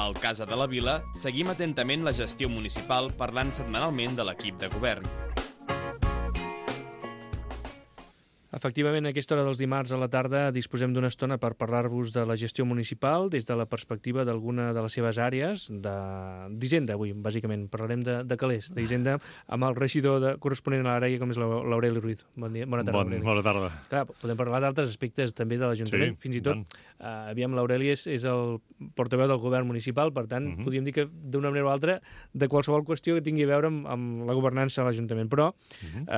Al Casa de la Vila seguim atentament la gestió municipal parlant setmanalment de l'equip de govern. Efectivament, a aquesta hora dels dimarts a la tarda disposem d'una estona per parlar-vos de la gestió municipal des de la perspectiva d'alguna de les seves àrees d'Hisenda. Avui, bàsicament, parlarem de calés, d'Hisenda, amb el regidor corresponent a l'àrea, com és l'Aureli Ruiz. Bon dia, bona tarda, Aureli. Bona tarda. Clar, podem parlar d'altres aspectes també de l'Ajuntament. Sí, fins i tot, aviam, l'Aureli és el portaveu del govern municipal, per tant, podríem dir que d'una manera o altra de qualsevol qüestió que tingui a veure amb la governança de l'Ajuntament. Però,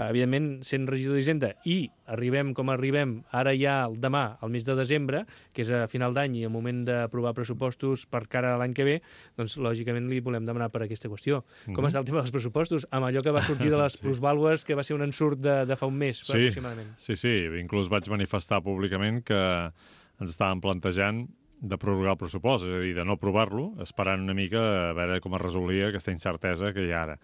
evidentment, sent regidor d'Hisenda i arribem com arribem ara ja demà, al mes de desembre, que és a final d'any i el moment d'aprovar pressupostos per cara a l'any que ve, doncs lògicament li volem demanar per aquesta qüestió. Com està el tema dels pressupostos? Amb allò que va sortir de les plusvàlues, que va ser un ensurt de fa un mes, aproximadament. Sí, inclús vaig manifestar públicament que ens estàvem plantejant de prorrogar el pressupost, és a dir, de no aprovar-lo, esperant una mica a veure com es resolia aquesta incertesa que hi ha ara.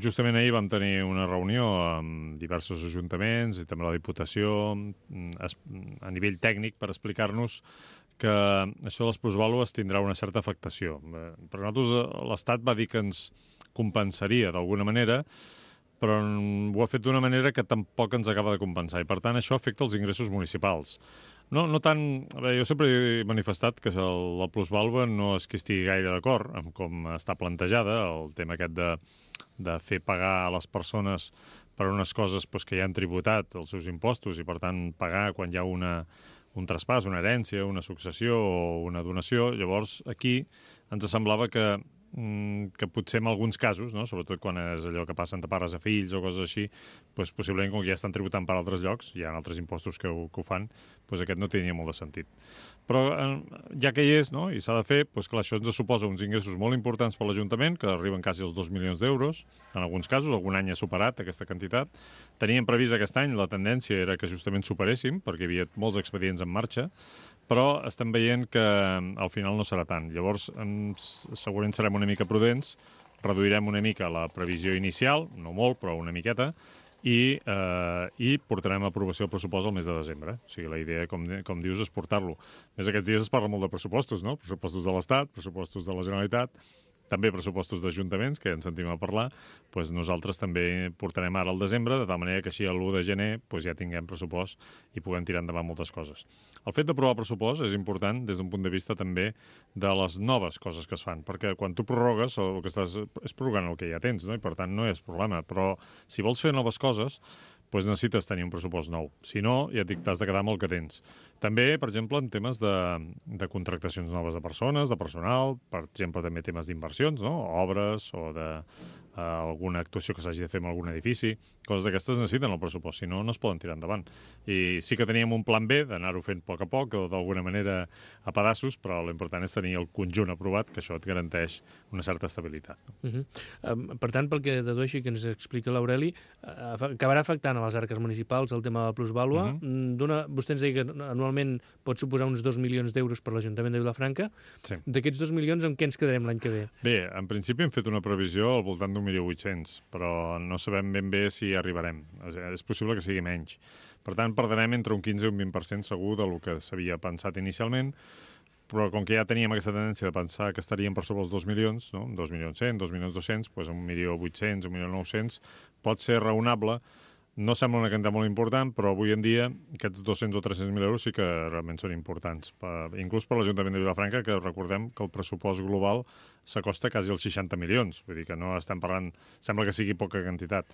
Justament ahir vam tenir una reunió amb diversos ajuntaments i també la Diputació a nivell tècnic per explicar-nos que això de les plusvàlues tindrà una certa afectació. Per nosaltres l'Estat va dir que ens compensaria d'alguna manera, però ho ha fet d'una manera que tampoc ens acaba de compensar i per tant això afecta els ingressos municipals. No tant... jo sempre he manifestat que la plusvàlua no és que estigui gaire d'acord amb com està plantejada, el tema aquest de fer pagar a les persones per unes coses que ja han tributat els seus impostos i, per tant, pagar quan hi ha un traspàs, una herència, una successió o una donació. Llavors, aquí ens semblava que potser en alguns casos, no? Sobretot quan és allò que passa entre pares a fills o coses així, possiblement com que ja estan tributant per altres llocs, hi ha altres impostos que ho fan, aquest no tenia molt de sentit. Però ja que hi és, no? I s'ha de fer, clar, això ens suposa uns ingressos molt importants per l'Ajuntament, que arriben quasi als 2 milions d'euros, en alguns casos, algun any ha superat aquesta quantitat. Teníem previst aquest any, la tendència era que justament superéssim, perquè hi havia molts expedients en marxa, però estem veient que al final no serà tant. Llavors, segurament serem una mica prudents, reduirem una mica la previsió inicial, no molt, però una miqueta, i portarem a aprovació el pressupost al mes de desembre. O sigui, la idea, com dius, és portar-lo. A més, aquests dies es parla molt de pressupostos, no? Pressupostos de l'Estat, pressupostos de la Generalitat, també pressupostos d'ajuntaments, que ja en sentim a parlar, nosaltres també portarem ara al desembre, de tal manera que així l'1 de gener ja tinguem pressupost i puguem tirar endavant moltes coses. El fet d'aprovar el pressupost és important des d'un punt de vista també de les noves coses que es fan, perquè quan tu prorrogues, el que estàs és prorrogant el que ja tens, no? I per tant no és problema, però si vols fer noves coses, necessites tenir un pressupost nou. Si no, ja et dic, t'has de quedar amb el que tens. També, per exemple, en temes de contractacions noves de persones, de personal, per exemple, també temes d'inversions, no? Obres o alguna actuació que s'hagi de fer en algun edifici. Coses d'aquestes necessiten el pressupost, si no, no es poden tirar endavant. I sí que teníem un plan B d'anar-ho fent a poc, o d'alguna manera a pedaços, però l'important és tenir el conjunt aprovat, que això et garanteix una certa estabilitat. Per tant, pel que dedueixo i que ens explica l'Aureli, acabarà afectant a les arques municipals el tema de la plusvàlua. Vostè ens deia que anualment pot suposar uns 2 milions d'euros per l'Ajuntament de Vilafranca. Sí. D'aquests 2 milions, amb què ens quedarem l'any que ve? Bé, en principi hem fet una previsió al voltant d'1.800.000, però no sabem ben bé si arribarem. És possible que sigui menys. Per tant, perdrem entre un 15 i un 20% segur del que s'havia pensat inicialment, però com que ja teníem aquesta tendència de pensar que estaríem per sobre els 2 milions, no? 2.100.000, 2.200.000, 1.800.000, 1.900.000, pot ser raonable. No sembla una quantitat molt important, però avui en dia aquests 200 o 300.000 euros sí que realment són importants. Inclús per l'Ajuntament de Vilafranca, que recordem que el pressupost global s'acosta quasi als 60 milions. Vull dir que no estem parlant... Sembla que sigui poca quantitat.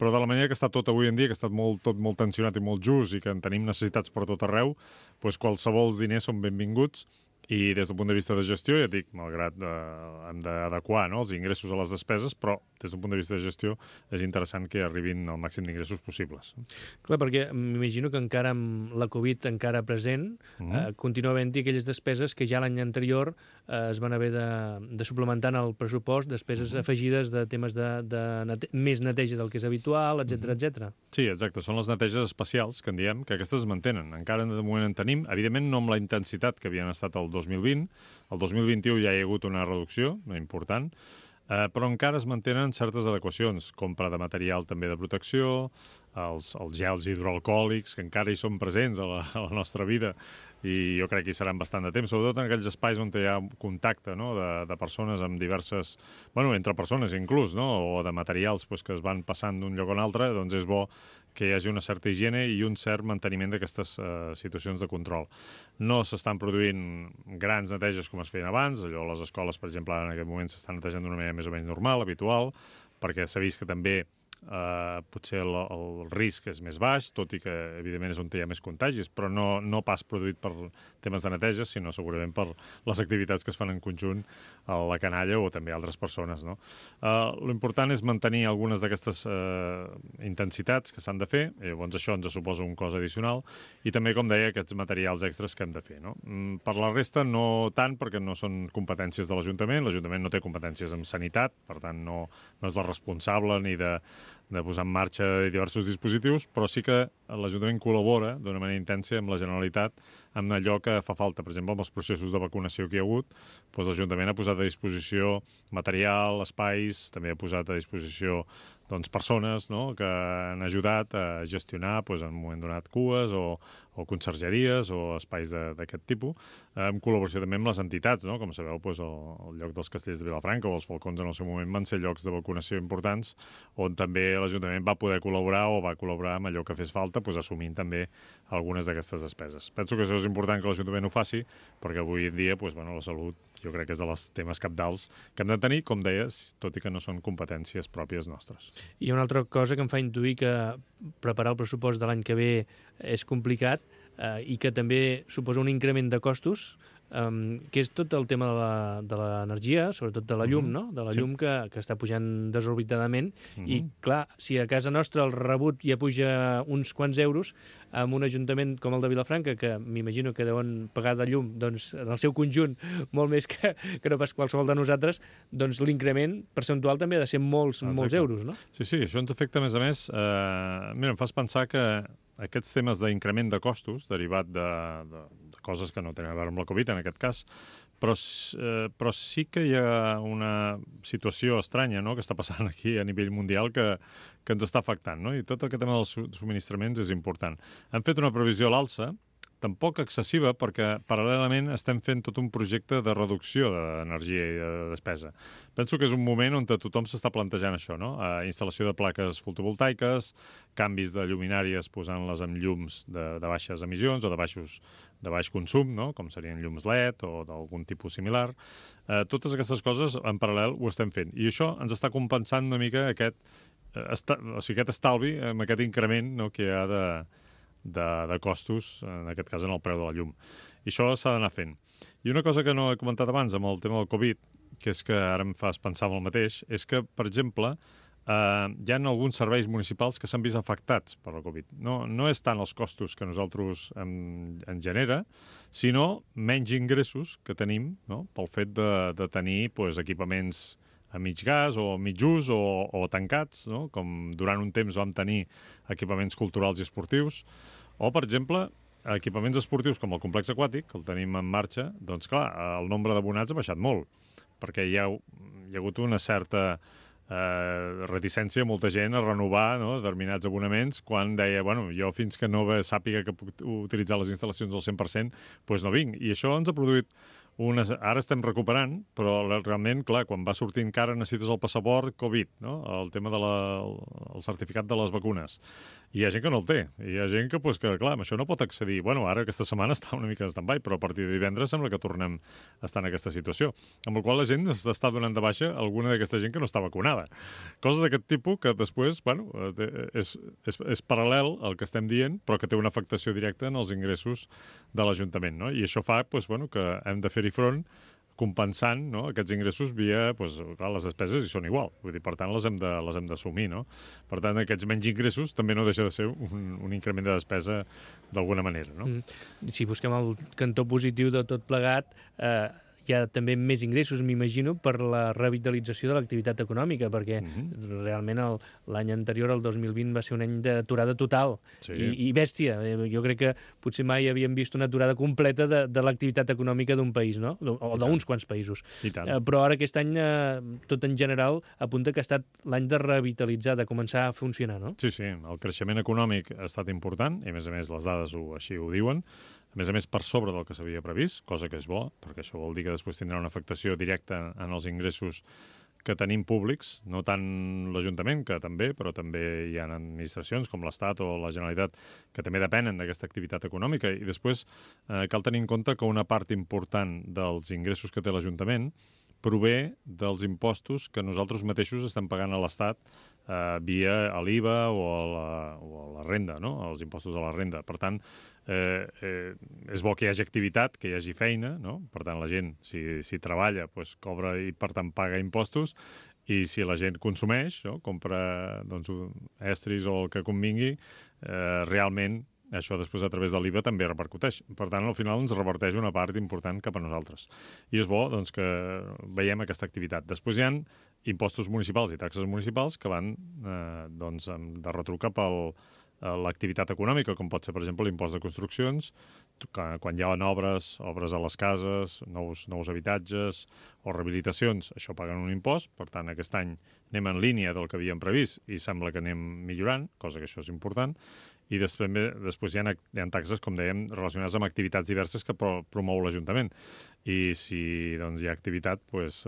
Però de la manera que està tot avui en dia, que està tot molt tensionat i molt just i que en tenim necessitats per tot arreu, qualsevol diners són benvinguts. I des del punt de vista de gestió, ja dic, malgrat hem d'adequar els ingressos a les despeses, però des d'un punt de vista de gestió és interessant que arribin al màxim d'ingressos possibles. Clar, perquè m'imagino que encara amb la Covid encara present, continua havent-hi aquelles despeses que ja l'any anterior es van haver de suplementar en el pressupost, despeses afegides de temes de més neteja del que és habitual, etc. Sí, exacte. Són les neteges especials, que en diem, que aquestes es mantenen. Encara de moment en tenim, evidentment no amb la intensitat que havien estat el 2020. El 2021 ja hi ha hagut una reducció important, però encara es mantenen certes adequacions, compra de material també de protecció, els gels hidroalcohòlics, que encara hi són presents a la nostra vida i jo crec que hi seran bastant de temps, sobretot en aquells espais on hi ha contacte, no?, de persones amb diverses... Bueno, entre persones inclús, no?, o de materials pues, que es van passant d'un lloc a un altre, doncs és bo que hi hagi una certa higiene i un cert manteniment d'aquestes situacions de control. No s'estan produint grans neteges com es feien abans, allò les escoles, per exemple, en aquest moment s'estan netejant d'una manera més o menys normal, habitual, perquè s'ha vist que també potser el risc és més baix, tot i que evidentment és on hi ha més contagis, però no pas produït per temes de neteja, sinó segurament per les activitats que es fan en conjunt a la canalla o també altres persones, no? L'important és mantenir algunes d'aquestes intensitats que s'han de fer, llavors això ens suposa un cost addicional, i també, com deia, aquests materials extras que hem de fer, no? Per la resta, no tant, perquè no són competències de l'Ajuntament no té competències en sanitat, per tant, no és la responsable ni de posar en marxa diversos dispositius, però sí que l'Ajuntament col·labora d'una manera intensa amb la Generalitat en allò que fa falta. Per exemple, amb els processos de vacunació que hi ha hagut, doncs l'Ajuntament ha posat a disposició material, espais, també ha posat a disposició persones, no?, que han ajudat a gestionar en un moment donat cues o consergeries o espais d'aquest tipus, en col·laboració també amb les entitats, no? Com sabeu, el lloc dels Castells de Vilafranca o els Falcons en el seu moment van ser llocs de vacunació importants on també l'Ajuntament va poder col·laborar o va col·laborar amb allò que fes falta, assumint també algunes d'aquestes despeses. Penso que això és important que l'Ajuntament ho faci, perquè avui en dia la salut jo crec que és dels temes cabdals que hem de tenir, com deies, tot i que no són competències pròpies nostres. Hi ha una altra cosa que em fa intuir que preparar el pressupost de l'any que ve és complicat i que també suposa un increment de costos, que és tot el tema de l'energia, sobretot de la llum, no? De la llum que està pujant desorbitadament i, clar, si a casa nostra el rebut ja puja uns quants euros, amb un ajuntament com el de Vilafranca, que m'imagino que deuen pagar de llum, doncs, en el seu conjunt, molt més que no pas qualsevol de nosaltres, doncs l'increment percentual també ha de ser molts euros, no? Sí, això ens afecta, a més, mira, em fas pensar que aquests temes d'increment de costos, derivat de coses que no tenen a veure amb la Covid, en aquest cas, però sí que hi ha una situació estranya, no?, que està passant aquí a nivell mundial que ens està afectant, no? I tot aquest tema dels subministraments és important. Hem fet una previsió a l'alça, tampoc excessiva, perquè paral·lelament estem fent tot un projecte de reducció d'energia i de despesa. Penso que és un moment on tothom s'està plantejant això, no? Instal·lació de plaques fotovoltaiques, canvis de lluminàries posant-les amb llums de baixes emissions o de baix consum, no?, com serien llums LED o d'algun tipus similar. Totes aquestes coses en paral·lel ho estem fent. I això ens està compensant una mica aquest estalvi amb aquest increment, no?, que hi ha de costos, en aquest cas en el preu de la llum. I això s'ha d'anar fent. I una cosa que no he comentat abans amb el tema del Covid, que és que ara em fas pensar en el mateix, és que, per exemple, hi ha alguns serveis municipals que s'han vist afectats per la Covid. No és tant els costos que nosaltres en genera, sinó menys ingressos que tenim, no?, pel fet de tenir equipaments a mig gas o a mig ús o tancats, no?, com durant un temps vam tenir equipaments culturals i esportius, o, per exemple, equipaments esportius com el complex aquàtic, que el tenim en marxa, doncs, clar, el nombre d'abonats ha baixat molt, perquè hi ha hagut una certa reticència a molta gent a renovar, no?, determinats abonaments, quan deia, jo fins que no sàpiga que puc utilitzar les instal·lacions al 100%, doncs no vinc. I això ens ha produït ara estem recuperant, però realment, clar, quan va sortint que ara necessites el passaport Covid, no?, el tema el certificat de les vacunes. I hi ha gent que no el té. I hi ha gent que, clar, amb això no pot accedir. Ara aquesta setmana està una mica en stand-by, però a partir de divendres sembla que tornem a estar en aquesta situació. Amb la qual la gent s'està donant de baixa alguna d'aquesta gent que no està vacunada. Coses d'aquest tipus que després, és paral·lel al que estem dient, però que té una afectació directa en els ingressos de l'Ajuntament, no? I això fa, que hem de fer-hi front compensant, no?, aquests ingressos via, clar, les despeses hi són igual. Vull dir, per tant, les hem d'assumir, no? Per tant, aquests menys ingressos també no deixa de ser un increment de despesa d'alguna manera, no? Si busquem el cantó positiu de tot plegat, hi ha també més ingressos, m'imagino, per la revitalització de l'activitat econòmica, perquè realment l'any anterior, el 2020, va ser un any d'aturada total i bèstia. Jo crec que potser mai havíem vist una aturada completa de l'activitat econòmica d'un país, no? O d'uns quants països. Però ara aquest any, tot en general, apunta que ha estat l'any de revitalitzar, de començar a funcionar, no? Sí, el creixement econòmic ha estat important, i a més les dades així ho diuen. a més per sobre del que s'havia previst, cosa que és bo, perquè això vol dir que després tindrà una afectació directa en els ingressos que tenim públics, no tant l'Ajuntament, que també, però també hi ha administracions com l'Estat o la Generalitat que també depenen d'aquesta activitat econòmica. I després cal tenir en compte que una part important dels ingressos que té l'Ajuntament prové dels impostos que nosaltres mateixos estem pagant a l'Estat via l'IVA o a la renda, no? Els impostos a la renda. Per tant, és bo que hi hagi activitat, que hi hagi feina, no? Per tant, la gent, si treballa, doncs, cobra i, per tant, paga impostos, i si la gent consumeix, no? Compra doncs, estris o el que convingui, realment això després a través de l'IVA també repercuteix. Per tant, al final ens reverteix una part important cap a nosaltres. I és bo doncs, que veiem aquesta activitat. Després hi ha impostos municipals i taxes municipals que van doncs, de retruc cap a l'activitat econòmica, com pot ser, per exemple, l'impost de construccions, quan hi ha obres a les cases, nous habitatges o rehabilitacions, això paguen un impost, per tant, aquest any anem en línia del que havíem previst i sembla que anem millorant, cosa que això és important, i després hi ha taxes, com dèiem, relacionades amb activitats diverses que promou l'Ajuntament. I si doncs, hi ha activitat, doncs,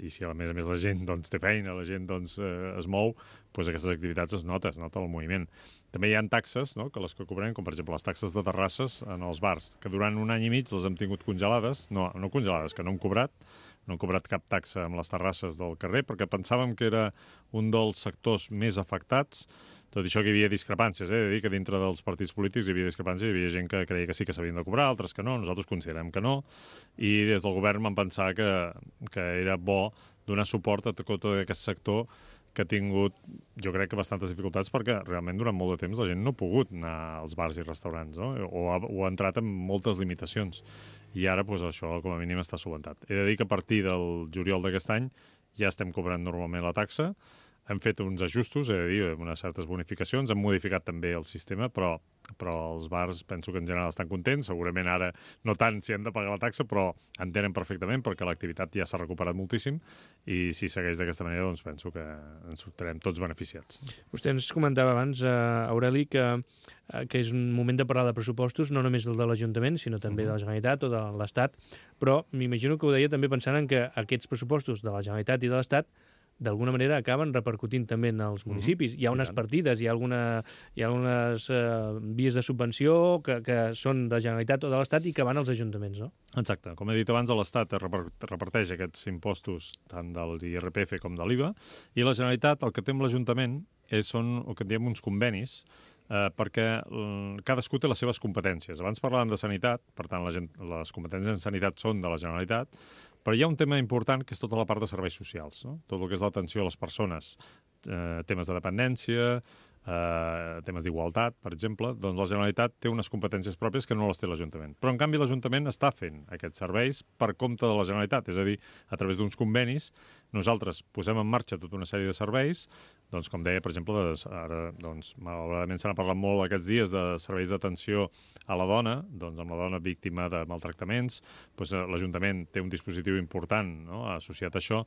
i si a més la gent doncs, té feina, la gent doncs, es mou, doncs aquestes activitats es nota el moviment. També hi ha taxes, no?, que les que cobrem, com per exemple les taxes de terrasses en els bars, que durant un any i mig les hem tingut congelades, no congelades, que no hem cobrat cap taxa amb les terrasses del carrer, perquè pensàvem que era un dels sectors més afectats. Tot això que hi havia discrepàncies, de dir que dintre dels partits polítics hi havia discrepàncies, hi havia gent que creia que sí que s'havien de cobrar, altres que no, nosaltres considerem que no, i des del govern vam pensar que era bo donar suport a tot aquest sector que ha tingut, jo crec que bastantes dificultats, perquè realment durant molt de temps la gent no ha pogut anar als bars i restaurants, no? o ha entrat amb moltes limitacions. I ara doncs, això com a mínim està solucionat. He de dir que a partir del juliol d'aquest any ja estem cobrant normalment la taxa. Hem fet uns ajustos, amb unes certes bonificacions, hem modificat també el sistema, però els bars penso que en general estan contents, segurament ara no tant si han de pagar la taxa, però entenen perfectament perquè l'activitat ja s'ha recuperat moltíssim i si segueix d'aquesta manera doncs penso que ens sortirem tots beneficiats. Vostè ens comentava abans, Aureli, que és un moment de parlar de pressupostos, no només del de l'Ajuntament, sinó també de la Generalitat o de l'Estat, però m'imagino que ho deia també pensant en que aquests pressupostos de la Generalitat i de l'Estat d'alguna manera acaben repercutint també en els municipis. Hi ha unes partides, hi ha algunes vies de subvenció que són de la Generalitat o de l'Estat i que van als ajuntaments, no? Exacte. Com he dit abans, l'Estat reparteix aquests impostos tant del IRPF com de l'IVA i la Generalitat, el que té amb l'Ajuntament, són el que en diem uns convenis, perquè cadascú té les seves competències. Abans parlàvem de sanitat, per tant, les competències en sanitat són de la Generalitat, però hi ha un tema important que és tota la part de serveis socials, no? Tot el que és l'atenció a les persones, temes de dependència, temes d'igualtat, per exemple, doncs la Generalitat té unes competències pròpies que no les té l'Ajuntament. Però, en canvi, l'Ajuntament està fent aquests serveis per compte de la Generalitat, és a dir, a través d'uns convenis, nosaltres posem en marxa tota una sèrie de serveis, doncs, com deia, per exemple, ara, doncs, malauradament se n'ha parlat molt aquests dies de serveis d'atenció a la dona, doncs, amb la dona víctima de maltractaments, doncs, l'Ajuntament té un dispositiu important, no?, associat a això,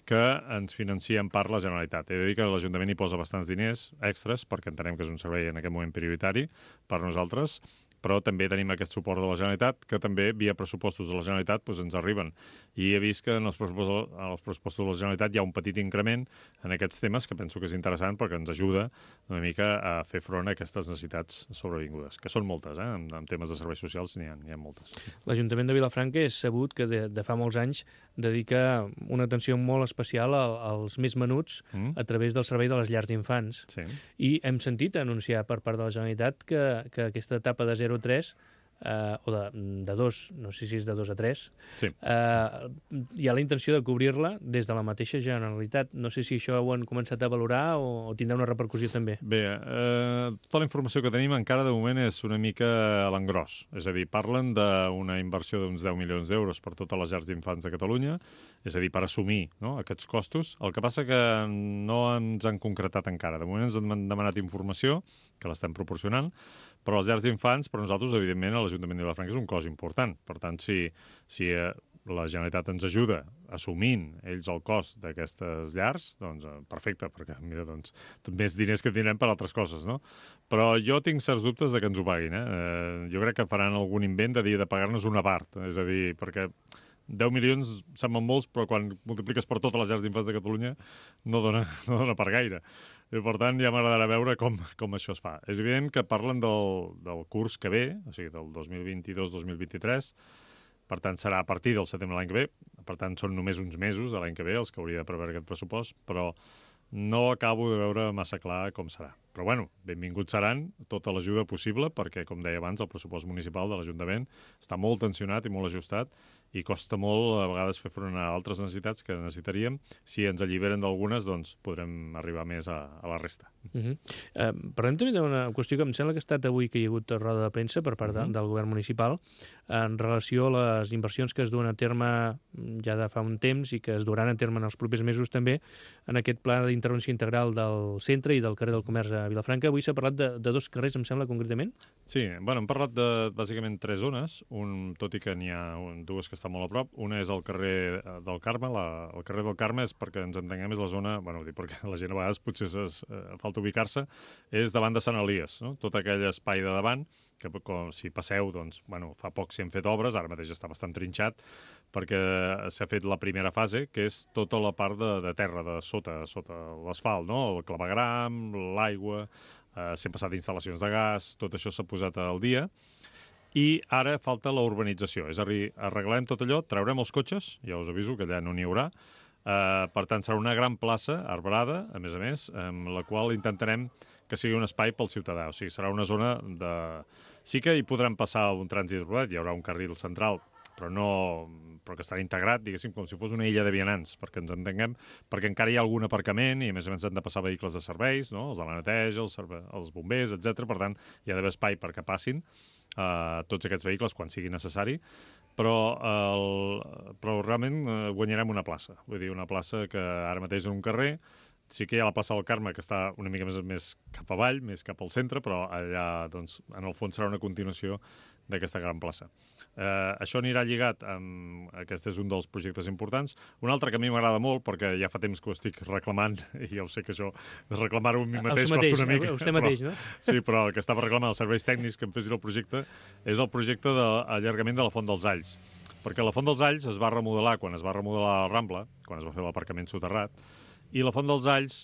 que ens financia en part la Generalitat. He de dir que l'Ajuntament hi posa bastants diners extras, perquè entenem que és un servei en aquest moment prioritari per nosaltres, però també tenim aquest suport de la Generalitat, que també, via pressupostos de la Generalitat, doncs ens arriben. I he vist que en els pressupostos de la Generalitat hi ha un petit increment en aquests temes, que penso que és interessant perquè ens ajuda una mica a fer front a aquestes necessitats sobrevingudes, que són moltes, en temes de serveis socials n'hi ha moltes. L'Ajuntament de Vilafranca és sabut que de fa molts anys dedica una atenció molt especial als més menuts a través del servei de les llars d'infants. Sí. I hem sentit anunciar per part de la Generalitat que aquesta etapa de 0-3 o de 2, no sé si és de 2 a 3, sí. Hi ha la intenció de cobrir-la des de la mateixa Generalitat. No sé si això ho han començat a valorar o tindrà una repercussió també. Bé, tota la informació que tenim encara de moment és una mica a l'engròs. És a dir, parlen d'una inversió d'uns 10 milions d'euros per totes les llars d'infants de Catalunya, és a dir, per assumir, no?, aquests costos. El que passa que no ens han concretat encara. De moment ens han demanat informació, que l'estem proporcionant, però les llars d'infants, per nosaltres, evidentment, a l'Ajuntament de Vilafranca és un cost important. Per tant, si la Generalitat ens ajuda assumint ells el cost d'aquestes llars, doncs perfecte, perquè mira, doncs, més diners que tindrem per altres coses, no? Però jo tinc certs dubtes de que ens ho paguin, jo crec que faran algun invent de dir de pagar-nos una part, és a dir, perquè 10 milions semblen molts, però quan multipliques per totes les llars d'infants de Catalunya no dona per gaire. I, per tant, ja m'agradarà veure com això es fa. És evident que parlen del curs que ve, o sigui, del 2022-2023, per tant, serà a partir del setembre de l'any que ve, per tant, són només uns mesos de l'any que ve els que hauria de preveure aquest pressupost, però no acabo de veure massa clar com serà. Però, bueno, benvinguts seran tota l'ajuda possible, perquè, com deia abans, el pressupost municipal de l'Ajuntament està molt tensionat i molt ajustat, i costa molt, a vegades, fer front a altres necessitats que necessitaríem. Si ens alliberen d'algunes, doncs podrem arribar més a la resta. Parlem també d'una qüestió que em sembla que ha estat avui que hi ha hagut roda de premsa per part del govern municipal en relació a les inversions que es duen a terme ja de fa un temps i que es duran a terme en els propers mesos també en aquest pla d'intervenció integral del centre i del carrer del Comerç a Vilafranca. Avui s'ha parlat de 2 carrers, em sembla, concretament? Sí, bueno, hem parlat de, bàsicament, 3 zones, tot i que n'hi ha 2 que estan molt a prop. Una és el carrer del Carme. El carrer del Carme és, perquè ens entenguem, és la zona, bueno, perquè la gent a vegades potser falta ubicar-se, és davant de Sant Elies, no? Tot aquell espai de davant, que si passeu, doncs, bueno, fa poc s'hi han fet obres, ara mateix està bastant trinxat, perquè s'ha fet la primera fase, que és tota la part de terra, de sota l'asfalt, no? El clavegram, l'aigua, s'han passat instal·lacions de gas, tot això s'ha posat al dia, i ara falta la urbanització, és a dir, arreglarem tot allò, traurem els cotxes, ja us aviso que allà no n'hi haurà, per tant serà una gran plaça arbrada, a més, amb la qual intentarem que sigui un espai pel ciutadà, o sigui, serà una zona de... Sí que hi podrem passar un trànsit rodat, hi haurà un carril central, però que estarà integrat, diguéssim, com si fos una illa de vianants, perquè ens entenguem, perquè encara hi ha algun aparcament i, a més han de passar vehicles de serveis, no? Els de la neteja, els bombers, etc. Per tant, hi ha d'haver espai perquè passin tots aquests vehicles quan sigui necessari, però realment guanyarem una plaça. Vull dir, una plaça que ara mateix en un carrer, sí que hi ha la plaça del Carme, que està una mica més cap avall, més cap al centre, però allà, doncs, en el fons serà una continuació d'aquesta gran plaça. Això anirà lligat amb... Aquest és un dels projectes importants. Un altre que a mi m'agrada molt, perquè ja fa temps que ho estic reclamant, i ja ho sé que això, de reclamar-ho a mi mateix costa una mica. Vostè mateix, no? Sí, però el que estava reclamant els serveis tècnics que em fessin el projecte és el projecte d'allargament de la Font dels Alls. Perquè la Font dels Alls es va remodelar quan es va remodelar la Rambla, quan es va fer l'aparcament soterrat, i la Font dels Alls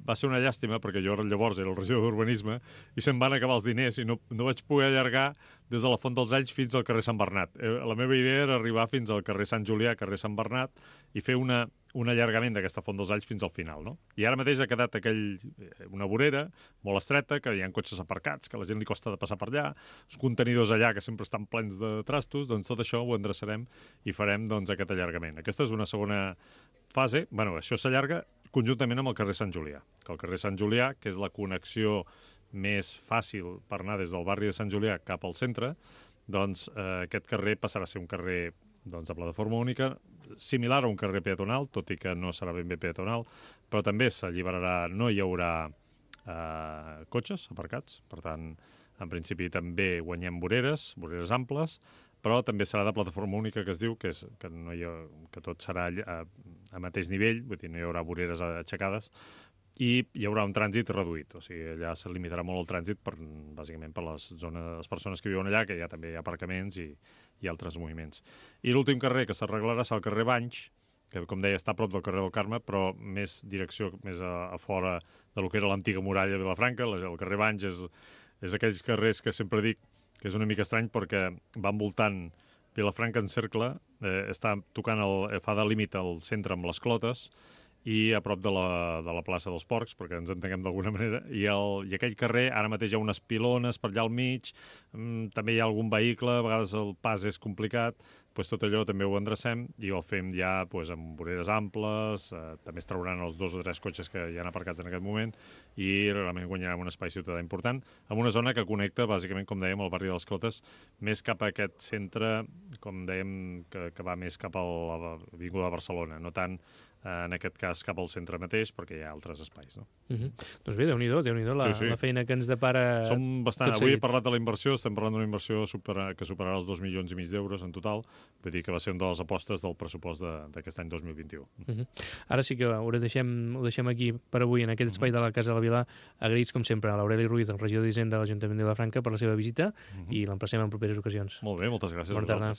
va ser una llàstima, perquè jo llavors era el regidor d'Urbanisme, i se'm van acabar els diners i no vaig poder allargar des de la Font dels Alls fins al carrer Sant Bernat. La meva idea era arribar fins al carrer Sant Julià, carrer Sant Bernat, i fer un allargament d'aquesta Font dels Alls fins al final, no? I ara mateix ha quedat una vorera molt estreta, que hi ha cotxes aparcats, que a la gent li costa de passar per allà, els contenidors allà que sempre estan plens de trastos, doncs tot això ho endreçarem i farem doncs, aquest allargament. Aquesta és una segona fase. Bueno, això s'allarga conjuntament amb el carrer Sant Julià, que el carrer Sant Julià, que és la connexió més fàcil per anar des del barri de Sant Julià cap al centre, doncs aquest carrer passarà a ser un carrer de plataforma única, similar a un carrer peatonal, tot i que no serà ben bé peatonal, però també s'alliberarà, no hi haurà cotxes aparcats, per tant, en principi també guanyem voreres amples, però també serà de plataforma única, que es diu, que tot serà a mateix nivell, vull dir, no hi haurà voreres aixecades, i hi haurà un trànsit reduït, o sigui, allà se limitarà molt el trànsit, bàsicament per les persones que viuen allà, que ja també hi ha aparcaments i altres moviments. I l'últim carrer que s'arreglarà serà el carrer Banys, que, com deia, està a prop del carrer del Carme, però més direcció, més a fora de lo que era l'antiga muralla de Vilafranca. El carrer Banys és aquells carrers que sempre dic que és una mica estrany perquè va envoltant Vilafranca en cercle, està tocant fa de límit al centre amb les Clotes i a prop de la plaça dels Porcs, perquè ens entenguem d'alguna manera, i aquell carrer, ara mateix hi ha unes pilones per allà al mig, també hi ha algun vehicle, a vegades el pas és complicat, doncs tot allò també ho endrecem i ho fem ja amb voreres amples, també es trauran els 2 o 3 cotxes que hi ha aparcats en aquest moment i realment guanyarem un espai ciutadà important amb una zona que connecta, bàsicament, com dèiem, el barri de les Clotes, més cap a aquest centre, com dèiem, que va més cap a l'Avinguda de Barcelona, no tant en aquest cas cap al centre mateix, perquè hi ha altres espais. No? Doncs bé, Déu-n'hi-do la feina que ens depara. Som bastant... Avui he parlat de la inversió, estem parlant d'una inversió que superarà els 2,5 milions d'euros en total, vull dir que va ser una de les apostes del pressupost d'aquest any 2021. Ara sí que ho deixem aquí per avui, en aquest espai de la Casa de la Vila. Agraïts, com sempre, a l'Aureli Ruiz, el regidor d'Hisenda de l'Ajuntament de Vilafranca, per la seva visita, i l'emplacem en properes ocasions. Molt bé, moltes gràcies. Bona tarda.